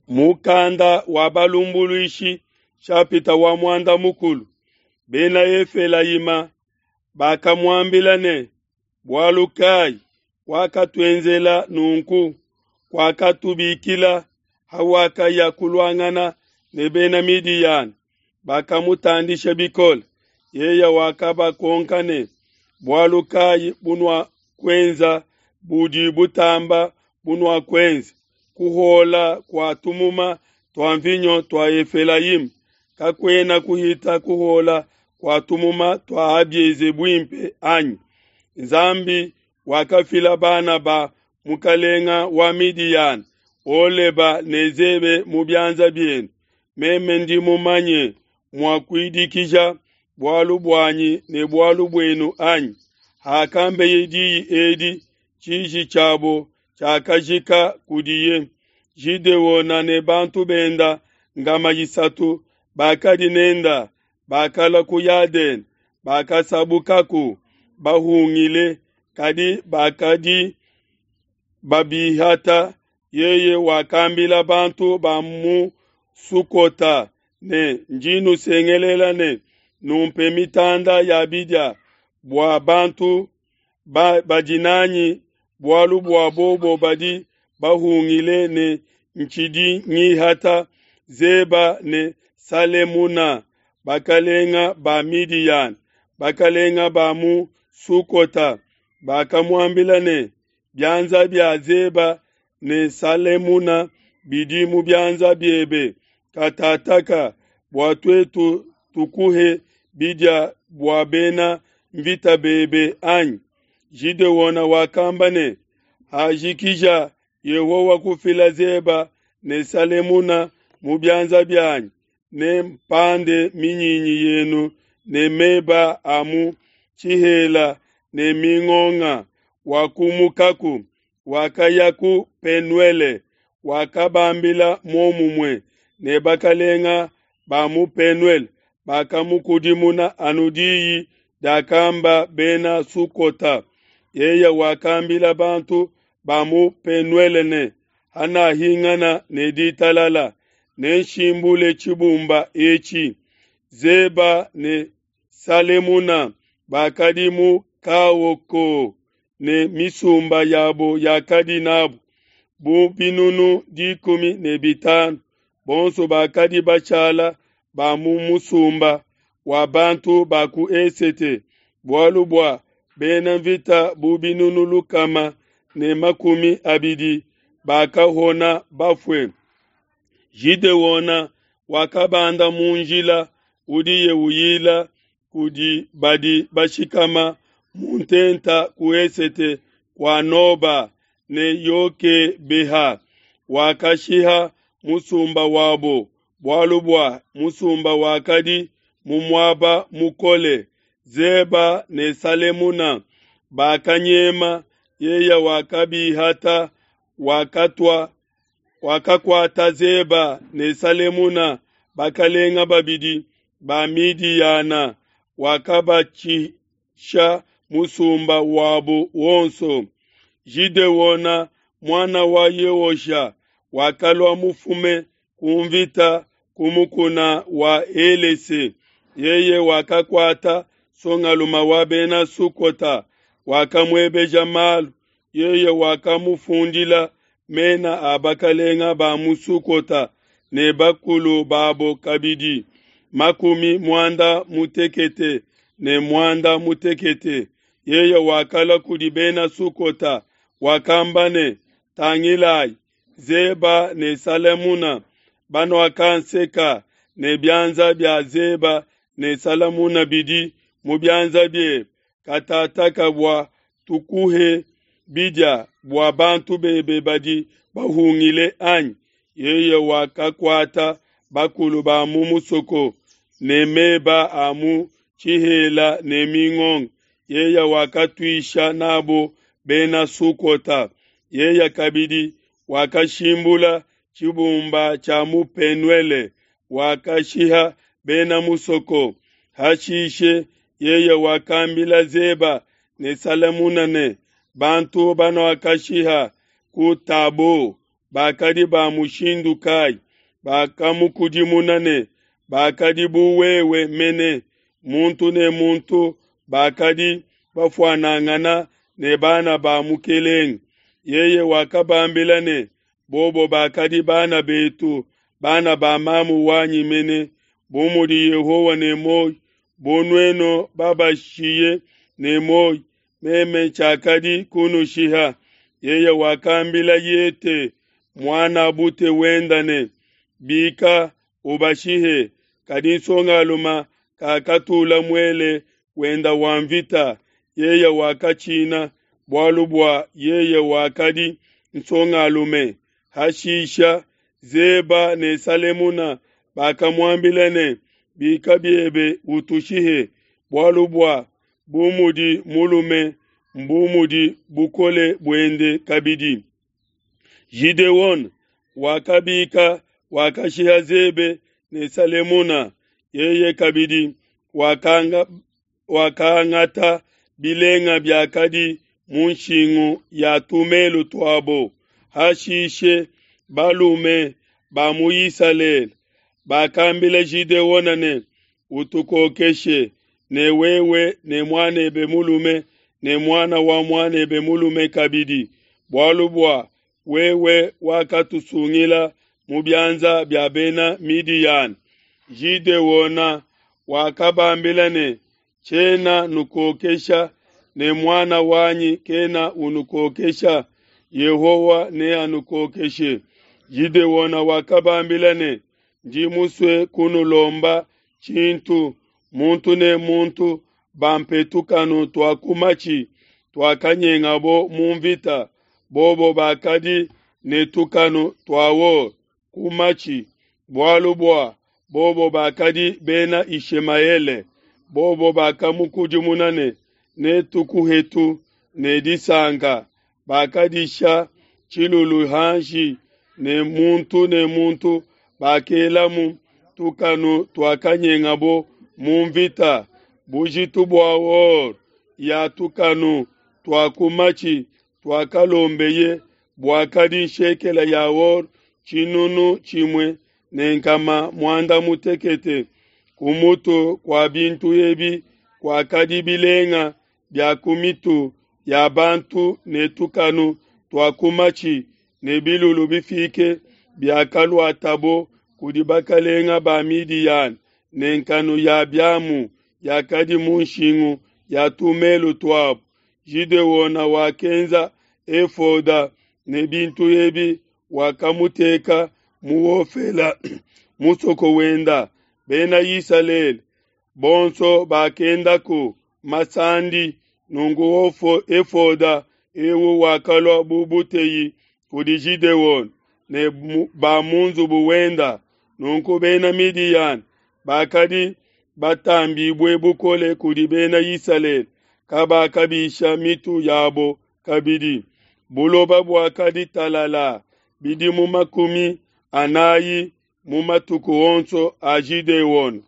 Mukanda wa Balumbuluishi nshapita wa muanda mukulu. Bena Efelayima bakamuambila ne, Bualu kai wakatuenzela nunku? Kuakatubikila hawakaya kuluangana ne Bena Midiyana. Bakamutandisha bikole. Yeye wakabakonka ne, Bualu kai bunuakuenza budi butamba bunuakuenza? Kuhuola kua tumuma tua nvinyo tua Efelayima kakuena kuhita kuhuola kua tumuma tua Abieze buimpe, anyi? Nzambi wakafila bana ba mukalenga wa Midiyana, Oleba ne Zebe mu bianza bienu. Meme ndi mumanye mua kuidikija bualu buanyi ne bualu buenu, anyi? Hakambeye diyi edi, tshiji tshiabo tshiakajika kudiye. Gideona ne bantu benda nkama isatu bakadi nenda bakalua ku Yadene, bakasabukaku bahungile, kadi bakadi babihata. Yeye wakambila bantu ba mu Sukota ne, Ndi nusengelela ne, Numpe mitanda ya bidia bua bantu badi nanyi, bualu bua bobo badi bahungile ne ntshidi ngihata Zeba ne Salemuna, bakalenga ba Midiyana. Bakalenga ba mu Sukota bakamuambila ne, Bianza bia Zeba ne Salemuna bidi mu bianza biebe katataka, bua tuetu tukuhe bidia bua bena nvita bebe, anyi? Gideona wakamba ne, Hajikija Yehowa kufila Zeba ne Salemuna mu bianza bianyi, nempande minyinyi yenu ne meba a mu tshihela ne mingonga. Wakumukaku, wakaya ku Penuele, wakabambila muomumue, ne bakalenga ba mu Penuele bakamukudimuna anu diyi diakamba Bena Sukota. Yeye wakambila bantu ba mu Penuele ne, Hanahingana ne ditalala, nenshimbule tshibumba etshi. Zeba ne Salemuna bakadi mu Kaoko ne misumba yabo yakadi nabo bu binunu 15, bonso bakadi bashala ba mu musumba wa bantu ba ku esete, bualu bua bena nvita bu binunu 120 bakahona bafue. Gideona wakabanda mu njila udiye uyila kudi badi bashikama mu ntenta ku esete kua Noba ne Yokebeha, wakashiha musumba wabo, bualu bua musumba wakadi mu muaba mukole. Zeba ne Salemuna bakanyema, yeye wakabihata, wakatua wakakuata Zeba ne Salemuna, bakalenga babidi ba Midiyana, wakabatshisha musumba wabo wonso. Gideona muana wa Yeosha wakalua mufume ku nvita ku mukuna wa Helese. Yeye wakakuata songaluma wa Bena Sukota, wakamuebeja malu. Yeye wakamufundila mena a bakalenga ba mu Sukota ne bakulu babo kabidi, 56. Yeye wakalua kudi Bena Sukota, wakamba ne, Tangilai, Zeba ne Salemuna banuakanseka, ne bianza bia Zeba ne Salemuna bidi mu bianza biebe katataka bua tukuhe bidia bua bantu bebe badi bahungile, anyi? Yeye wakakuata bakulu ba mu musoko ne meba a mu tshihela ne mingonga. Yeye wakatuisha nabo Bena Sukota. Yeye kabidi wakashimbula tshibumba tshia mu Penuele, wakashiha bena musoko. Hashishe yeye wakambila Zeba ne Salemuna ne, Bantu banuakashiha ku Tabo bakadi ba mushindu kai? Bakamukudimuna ne, Bakadi bu wewe mene, muntu ne muntu bakadi bafuanangana ne bana ba mukelenge. Yeye wakabambila ne, Bobo bakadi bana betu, bana ba mamu wanyi mene, bu mudi Yehowa ne muoyo, bu nuenu babashiye ne muoyo, meme tshiakadi kunushiha. Yeye wakambila Yete, muan'a bute wenda ne, Bika, ubashihe. Kadi nsongalume kakatula muele wenda wa nvita, yeye wakatshina, bualu bua yeye wakadi nsongalume. Hashisha Zeba ne Salemuna bakamuambila ne, Bika biebe utushihe, bualu bua bu mudi mulume mbu mudi bukole buende kabidi. Gideona wakabika, wakashiha Zebe ne Salemuna. Yeye kabidi wakangata bilenga biakadi mu nshingu ya tumelu tuabo. Hashishe balume ba mu Isalele bakambila Gideona ne, Utukokeshe, ne wewe ne muanebe mulume ne muana wa muanebe mulume kabidi, bualu bua wewe wakatusungila mu bianza bia Bena Midiyana. Gideona wakabambila ne, Tshiena nukokesha, ne muana wanyi kena unukokesha, Yehowa neanukokeshe. Gideona wakabambila ne, Ndi musue kunulomba tshintu, muntu ne muntu bampe tukanu tua ku matshi tuakanyengabo mu nvita. Bobo bakadi ne tukanu tua or ku matshi, bualu bua bobo bakadi Bena Yishemaele. Bobo bakamukudimuna ne, Netukuhetu ne disanka. Bakadisha tshilulu hanshi, ne muntu ne muntu bakelamu tukanu tuakanyengabo mu nvita. Bujitu bua or ya tukanu tua ku matshi tuakalombeye buakadi nshekela ya or 1,160. Ku mutu kua bintu ebi kuakadi bilenga bia ku mitu ya bantu ne tukanu tua ku matshi ne bilulu bifike biakaluatabo kudi bakalenga ba Midiyana, ne nkanu ya biamu yakadi mu nshingu ya tumelu tuabo. Gideona wakenza efoda ne bintu ebi, wakamuteka mu Ofela musoko wenda. Bena Isalele bonso bakendaku masandi, nunku efoda eu wakalua bu buteyi kudi Gideona ne ba mu nzubu wenda. Nunku Bena Midiyana bakadi batambibue bukole kudi Bena Isalele, kabakabisha mitu yabo kabidi. Buloba buakadi talala bidimu 40 mu matuku onso a Gideona.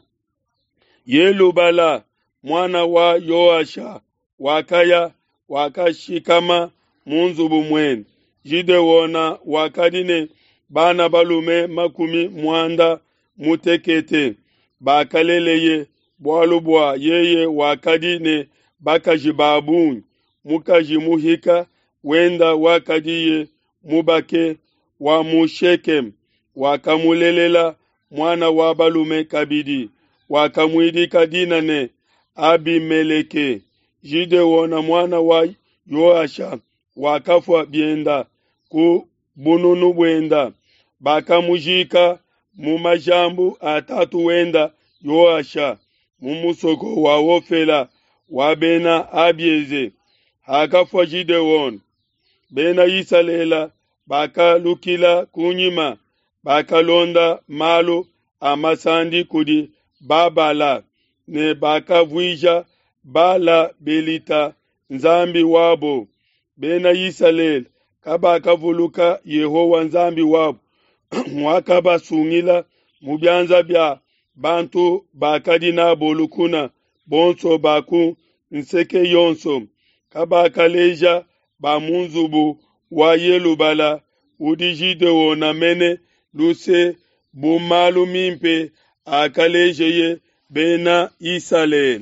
Yelubala muana wa Yoasha wakaya, wakashikama mu nzubu muende. Gideona wakadi ne bana balume 86 bakaleleye, bualu bua yeye wakadi ne bakaji ba bungi. Mukaji muhika wenda wakadiye mubake wa mu Shekeme wakamulelela muana wa balume kabidi, wakamuidika dina ne Abimeleke. Gideona muana wa Yoasha wakafua bienda ku bununu buenda, bakamujika mu majambu a tatu wenda Yoasha mu musoko wa Ofela wa Bena Abieze. Hakafua Gideona, Bena Isalele bakalukila kunyima, bakalonda malu a masandi kudi Babala ne bakavuija Bala Belita nzambi wabo. Bena Isalele kabakavuluka Yehowa Nzambi wabo wakabasungila mu bianza bia bantu bakadi nabo lukuna bonso ba ku nseke yonso. Kabakaleja ba mu nzubu wa Yelubala udi Gideona mene luse bu malu mimpe akalejeye Bena Isalele.